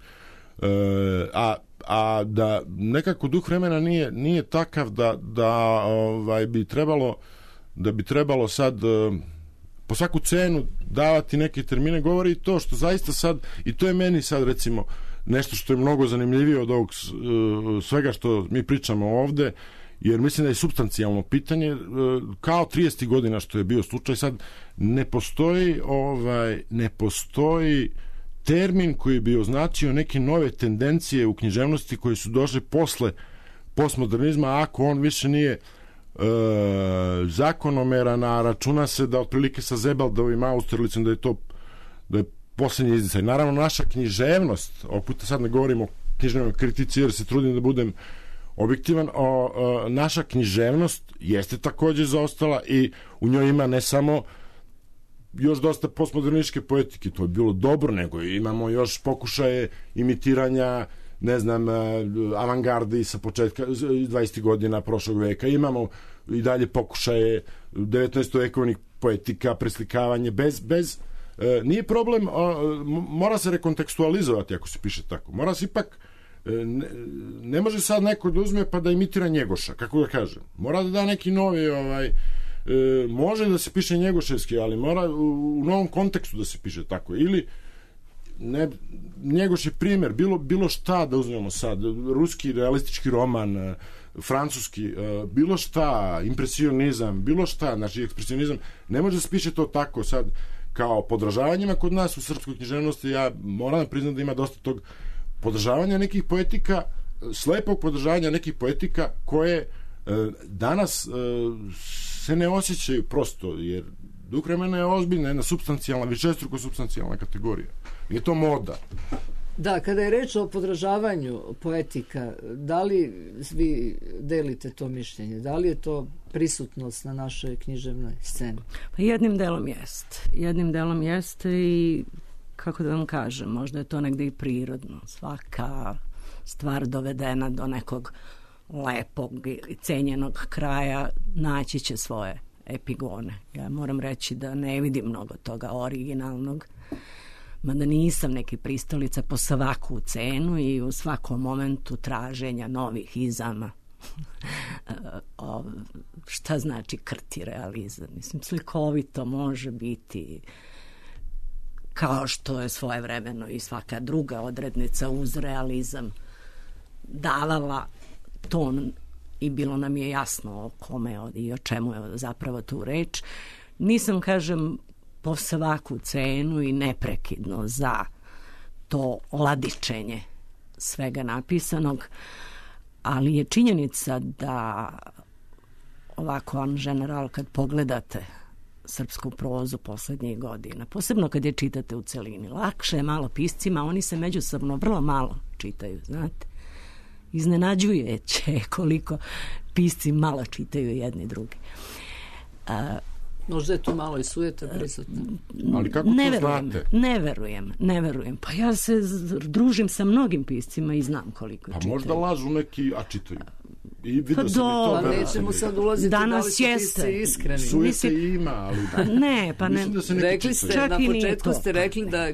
a da nekako duh vremena nije takav da bi trebalo sad po svaku cenu davati neke termine. Govori to što zaista sad, i to je meni sad recimo nešto što je mnogo zanimljivije od ovog svega što mi pričamo ovde, jer mislim da je supstancijalno pitanje, kao 30. godina što je bio slučaj, sad ne postoji termin koji bi označio neke nove tendencije u književnosti koje su došle posle postmodernizma, ako on više nije zakonomeran, a računa se da otprilike sa Zebeldovim Austerlicom da je poslednji izdisaj. Naravno, naša književnost, ovog puta sad ne govorimo o književnoj kritici jer se trudim da budem objektivan, naša književnost jeste takođe zaostala i u njoj ima ne samo još dosta postmodernističke poetike, to je bilo dobro, nego imamo još pokušaje imitiranja, ne znam, avangardi sa početka 20. godina prošlog veka, imamo i dalje pokušaje 19. vekovnih poetika, preslikavanje, bez nije problem, mora se rekontekstualizovati ako se piše tako, mora se ipak ne može sad neko da uzme pa da imitira Njegoša, kako da kažem, mora da da neki novi može da se piše njegoševski, ali mora u novom kontekstu da se piše tako, ili Njegoš je primjer, bilo šta da uzmemo sad, ruski realistički roman, francuski, bilo šta, impresionizam, bilo šta, znači ekspresionizam, ne može da se piše to tako sad kao podržavanjima kod nas u srpskoj književnosti. Ja moram da priznam da ima dosta tog podržavanja nekih poetika, slepog podržavanja nekih poetika koje danas se ne osjećaju prosto, jer duh vremena je ozbiljna, jedna supstancijalna, višestruko supstancijalna kategorija. Nije to moda. Da, kada je reč o podražavanju poetika, da li vi delite to mišljenje? Da li je to prisutnost na našoj književnoj sceni? Pa jednim delom jest i kako da vam kažem, možda je to negde i prirodno. Svaka stvar dovedena do nekog lepog i cenjenog kraja naći će svoje epigone. Ja moram reći da ne vidim mnogo toga originalnog, mada nisam neki pristalica po svaku cenu i u svakom momentu traženja novih izama. Šta znači krti realizam? Mislim, slikovito može biti, kao što je svojevremeno i svaka druga odrednica uz realizam davala ton i bilo nam je jasno o kome i o čemu je zapravo tu reč. Nisam, kažem, po svaku cenu i neprekidno za to ladičenje svega napisanog, ali je činjenica da ovako an general kad pogledate srpsku prozu poslednjih godina, posebno kad je čitate u celini, lakše je malo piscima, oni se međusobno vrlo malo čitaju, znate. Iznenađujuće koliko pisci malo čitaju jedni drugi. Možda je tu malo i sujeta prisutna. Ali kako to znate? Ne verujem. Pa ja se družim sa mnogim piscima i znam koliko čitaju. Pa možda lažu neki, a čitaju. I vidio sam i to. Nećemo sad ulaziti da li su pisci iskreni. Sujete ima, ali da. Ne, pa ne. Rekli ste, na početku ste rekli da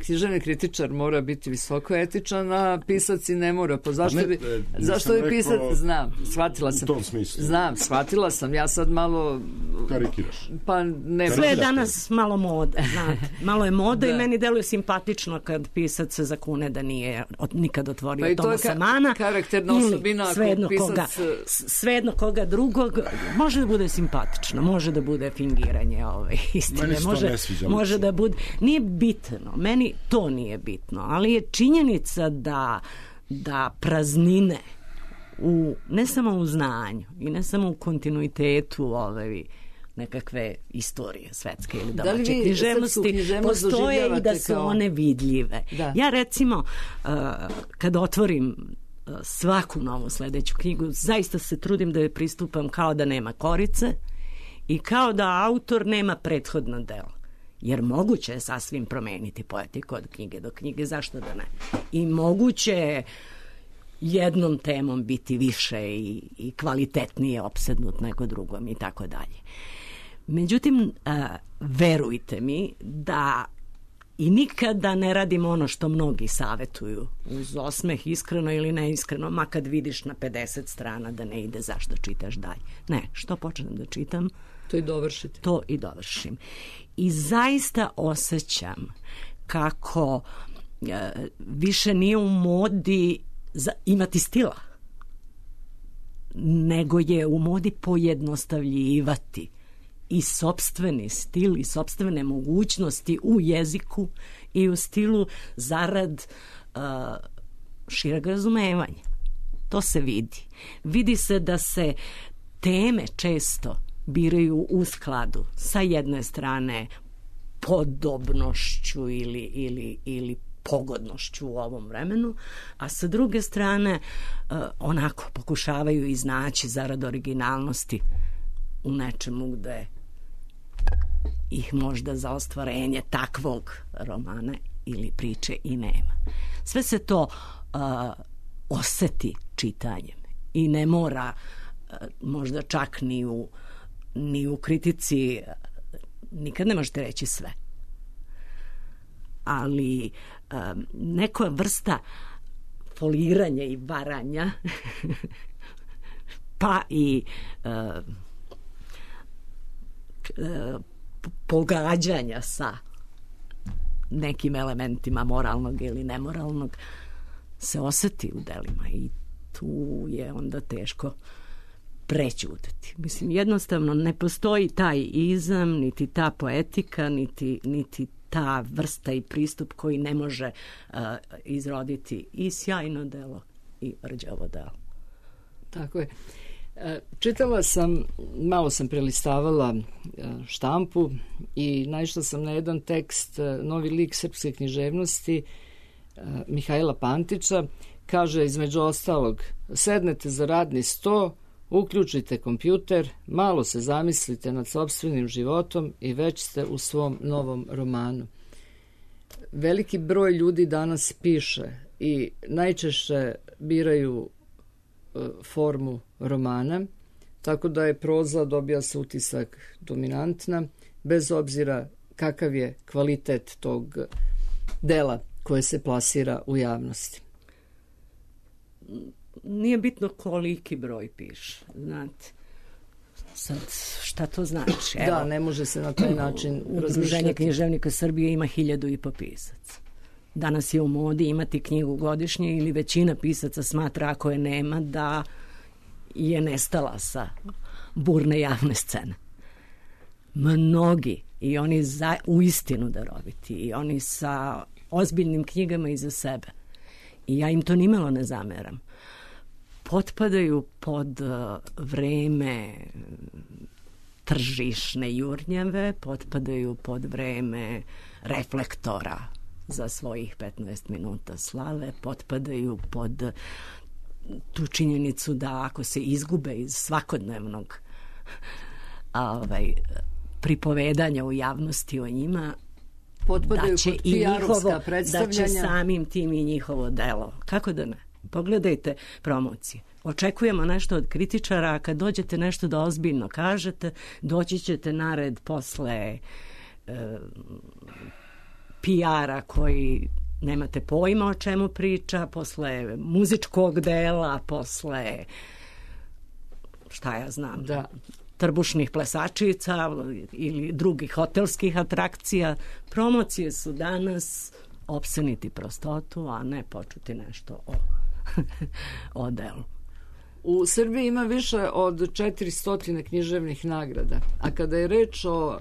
književni kritičar mora biti visoko etičan, a pisac i ne mora. Pa zašto bi pisac? Znam, shvatila sam. U tom smislu. Znam, shvatila sam. Ja sad malo karikiraš. Pa ne. Sve je danas malo moda, znate. Malo je moda i meni deluje simpatično kad pisac se zakune da nije nikad otvorio Tomasa Mana. Karakterna osobina ako pisac svejedno koga drugog, može da bude simpatično, može da bude fingiranje istine, može da bude, nije bitno, meni to nije bitno, ali je činjenica da praznine ne samo u znanju i ne samo u kontinuitetu nekakve istorije svetske ili domaće književnosti postoje i da su one vidljive. Da. Ja recimo kad otvorim svaku novu sledeću knjigu, zaista se trudim da je pristupam kao da nema korice i kao da autor nema prethodno delo. Jer moguće je sasvim promeniti poetiku od knjige do knjige, zašto da ne? I moguće je jednom temom biti više i kvalitetnije opsednut nego drugom i tako dalje. Međutim, verujte mi da i nikada ne radim ono što mnogi savetuju uz osmeh, iskreno ili neiskreno, ma kad vidiš na 50 strana da ne ide, zašto čitaš dalje. Ne, što počnem da čitam, to i dovršim. I zaista osjećam kako više nije u modi imati stila, nego je u modi pojednostavljivati i sopstveni stil i sopstvene mogućnosti u jeziku i u stilu zarad šireg razumevanja. To se vidi. Vidi se da se teme često biraju u skladu sa jedne strane podobnošću ili pogodnošću u ovom vremenu, a sa druge strane onako pokušavaju iznaći zarad originalnosti u nečemu gde ih možda za ostvarenje takvog romana ili priče i nema. Sve se to oseti čitanjem i ne mora možda čak ni u kritici, nikad ne možete reći sve. Ali neka vrsta foliranja i varanja pa i pogađanja sa nekim elementima moralnog ili nemoralnog se oseti u delima i tu je onda teško prećutati. Mislim, jednostavno ne postoji taj izam, niti ta poetika, niti ta vrsta i pristup koji ne može izroditi i sjajno delo i rđavo delo. Tako je. Čitala sam, malo sam prelistavala štampu i naišla sam na jedan tekst, novi lik srpske književnosti Mihajla Pantića. Kaže između ostalog: sednete za radni sto, uključite kompjuter, malo se zamislite nad sopstvenim životom i već ste u svom novom romanu. Veliki broj ljudi danas piše i najčešće biraju formu romana, tako da je proza, dobija se utisak, dominantna, bez obzira kakav je kvalitet tog dela koje se plasira u javnosti. Nije bitno koliki broj piše, znate. Sad, šta to znači? Evo, da, ne može se na taj način razmišljati. Udruženje književnika Srbije ima 1500 pisaca. Danas je u modi imati knjigu godišnje ili većina pisaca smatra, ako je nema, da je nestala sa burne javne scene. Mnogi, i oni uistinu daroviti, i oni sa ozbiljnim knjigama iza sebe, i ja im to nimalo ne zameram, potpadaju pod vreme tržišne jurnjave, potpadaju pod vreme reflektora za svojih 15 minuta slave, potpadaju pod tu činjenicu da ako se izgube iz svakodnevnog pripovedanja u javnosti o njima, potpadaju pod PR-ovska da predstavljanja, će samim tim i njihovo delo. Kako da ne? Pogledajte promocije. Očekujemo nešto od kritičara, a kad dođete nešto da ozbiljno kažete, doći ćete na red posle PR-a koji nemate pojma o čemu priča, posle muzičkog dela, posle šta ja znam, da, trbušnih plesačica ili drugih hotelskih atrakcija. Promocije su danas opseniti prostotu, a ne počuti nešto o delu. U Srbiji ima više od 400 književnih nagrada, a kada je reč o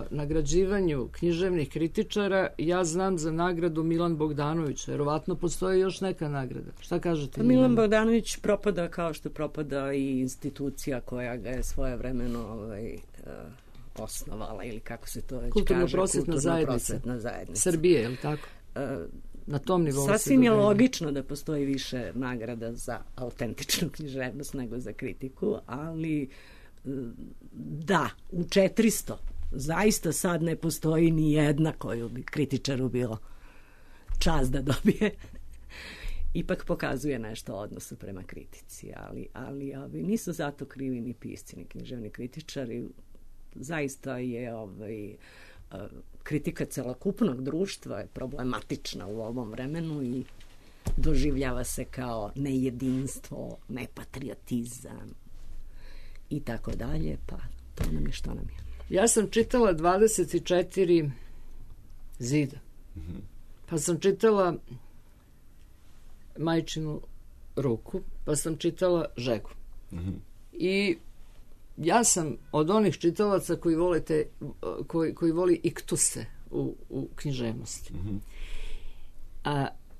nagrađivanju književnih kritičara, ja znam za nagradu Milan Bogdanović. Verovatno postoji još neka nagrada. Šta kažete? Milan Bogdanović propada kao što propada i institucija koja ga je svojevremeno osnovala, ili kako se to već kaže, Kulturno-prosvetna zajednica Srbije, je li tako? Na tom nivou. Sasvim je logično da postoji više nagrada za autentičnu književnost nego za kritiku, ali da, u 400 zaista sad ne postoji ni jedna koju bi kritičaru bilo čast da dobije. Ipak pokazuje nešto o odnosu prema kritici, ali nisu zato krivi ni pisci, ni književni kritičari. Zaista je kritika celokupnog društva je problematična u ovom vremenu i doživljava se kao nejedinstvo, nepatriotizam i tako dalje, pa to nam je što nam je. Ja sam čitala 24 zida. Pa sam čitala Majčinu ruku, pa sam čitala Žegu. I ja sam od onih čitalaca koji voli iktuse u književnosti.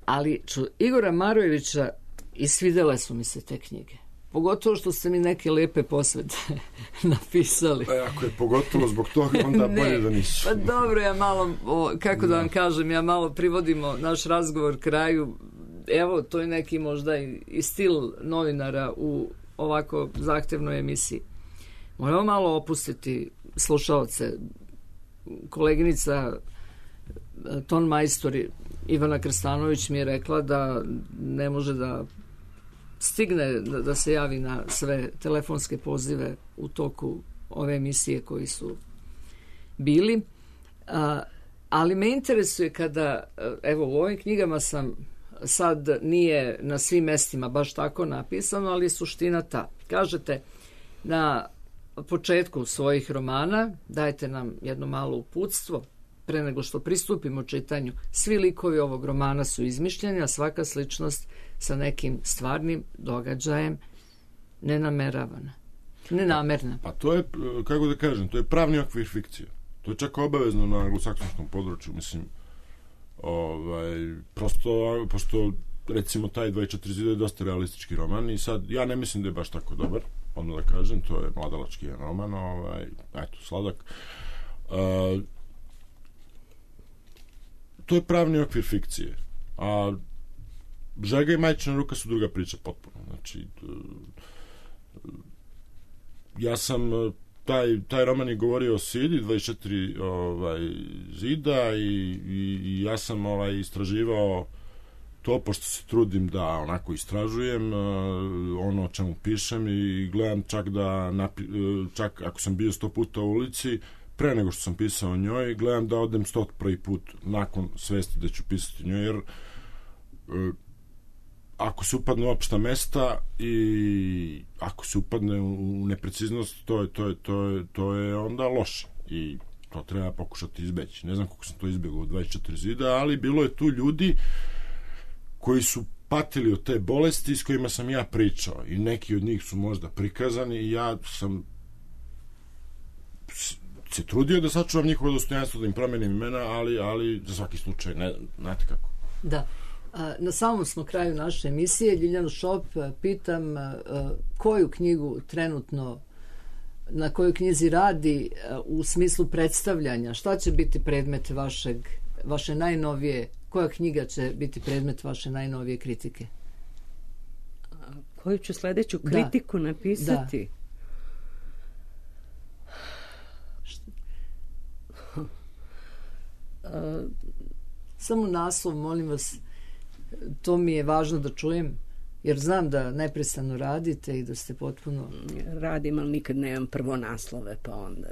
Ali Igora Marojevića i svidele su mi se te knjige. Pogotovo što ste mi neke lepe posvete napisali. Ako je pogotovo zbog toga, onda bolje da nisu. Pa dobro, ja malo, kako da vam kažem, ja malo privodimo naš razgovor kraju. Evo, to je neki možda i stil novinara u ovako zahtevnoj emisiji. Moramo malo opustiti slušaoce. Koleginica ton majstor Ivana Krstanović mi je rekla da ne može da stigne da se javi na sve telefonske pozive u toku ove emisije koji su bili. Ali me interesuje kada, evo u ovim knjigama sam sad nije na svim mestima baš tako napisano, ali je suština ta. Kažete na početku svojih romana, dajte nam jedno malo uputstvo pre nego što pristupimo čitanju. Svi likovi ovog romana su izmišljeni, a svaka sličnost sa nekim stvarnim događajem nenameravana. Nenamerna. Pa to je, kako da kažem, to je pravni okvir fikcije. To je čak obavezno na anglosaksonskom području, mislim, prosto, pošto recimo taj 24 zida je dosta realistički roman i sad, ja ne mislim da je baš tako dobar, onda da kažem, to je mladalački roman, eto, sladak. To je pravni okvir fikcije, a Žega i Majčina ruka su druga priča potpuno. Znači, ja sam taj roman je govorio o Sidi, 24 zida i ja sam istraživao to, pošto se trudim da onako istražujem ono o čemu pišem i gledam čak čak ako sam bio 100 puta u ulici, pre nego što sam pisao o njoj, gledam da odem 101. put nakon svesti da ću pisati o njoj, jer ako se upadne u opšta mesta i ako se upadne u nepreciznost, to je onda loše i to treba pokušati izbeći. Ne znam kako sam to izbjegao u 24 zida, ali bilo je tu ljudi koji su patili od te bolesti s kojima sam ja pričao i neki od njih su možda prikazani i ja sam se trudio da sačuvam njihovo dostojanstvo, da im promenim imena, ali za svaki slučaj, ne, znate kako. Da. Na samom smo kraju naše emisije. Ljiljanu Šop pitam koju knjigu trenutno, na kojoj knjizi radi u smislu predstavljanja, šta će biti predmet vaše najnovije, koja knjiga će biti predmet vaše najnovije kritike? Koju ću sledeću kritiku napisati? Samo naslov, molim vas, to mi je važno da čujem, jer znam da neprestano radite i da ste potpuno... Radim, ali nikad nemam prvo naslove, pa onda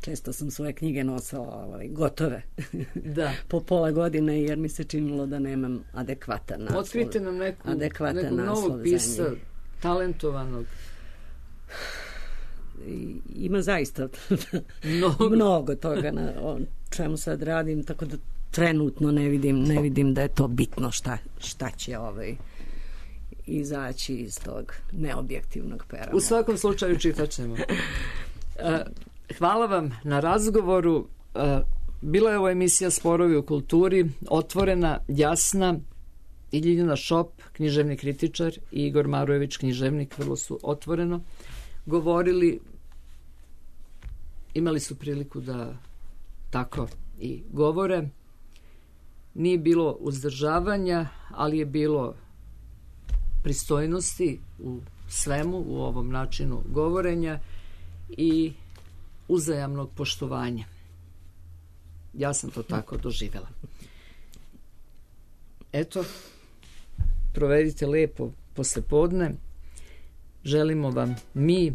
često sam svoje knjige nosila gotove po pola godine, jer mi se činilo da nemam adekvatan naslov. Otkrite nam nekog novog pisa, talentovanog. Ima zaista mnogo toga o čemu sad radim, tako da trenutno ne vidim da je to bitno šta će izaći iz tog neobjektivnog pera. U svakom slučaju čitat ćemo. Hvala vam na razgovoru. Bila je ovo emisija Sporovi u kulturi, otvorena, jasna, i Ljiljana Šop, književni kritičar, i Igor Marojević, književnik, vrlo su otvoreno govorili. Imali su priliku da tako i govore. Nije bilo uzdržavanja, ali je bilo pristojnosti u svemu, u ovom načinu govorenja i uzajamnog poštovanja. Ja sam to tako doživjela. Eto, provedite lepo poslepodne. Želimo vam mi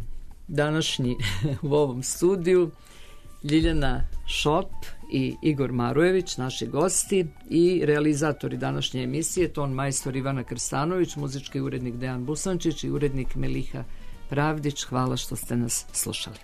današnji u ovom studiju, Ljiljana Šop i Igor Marojević, naši gosti, i realizatori današnje emisije, ton majstor Ivana Krstanović, muzički urednik Dejan Busančić i urednik Meliha Pravdić. Hvala što ste nas slušali.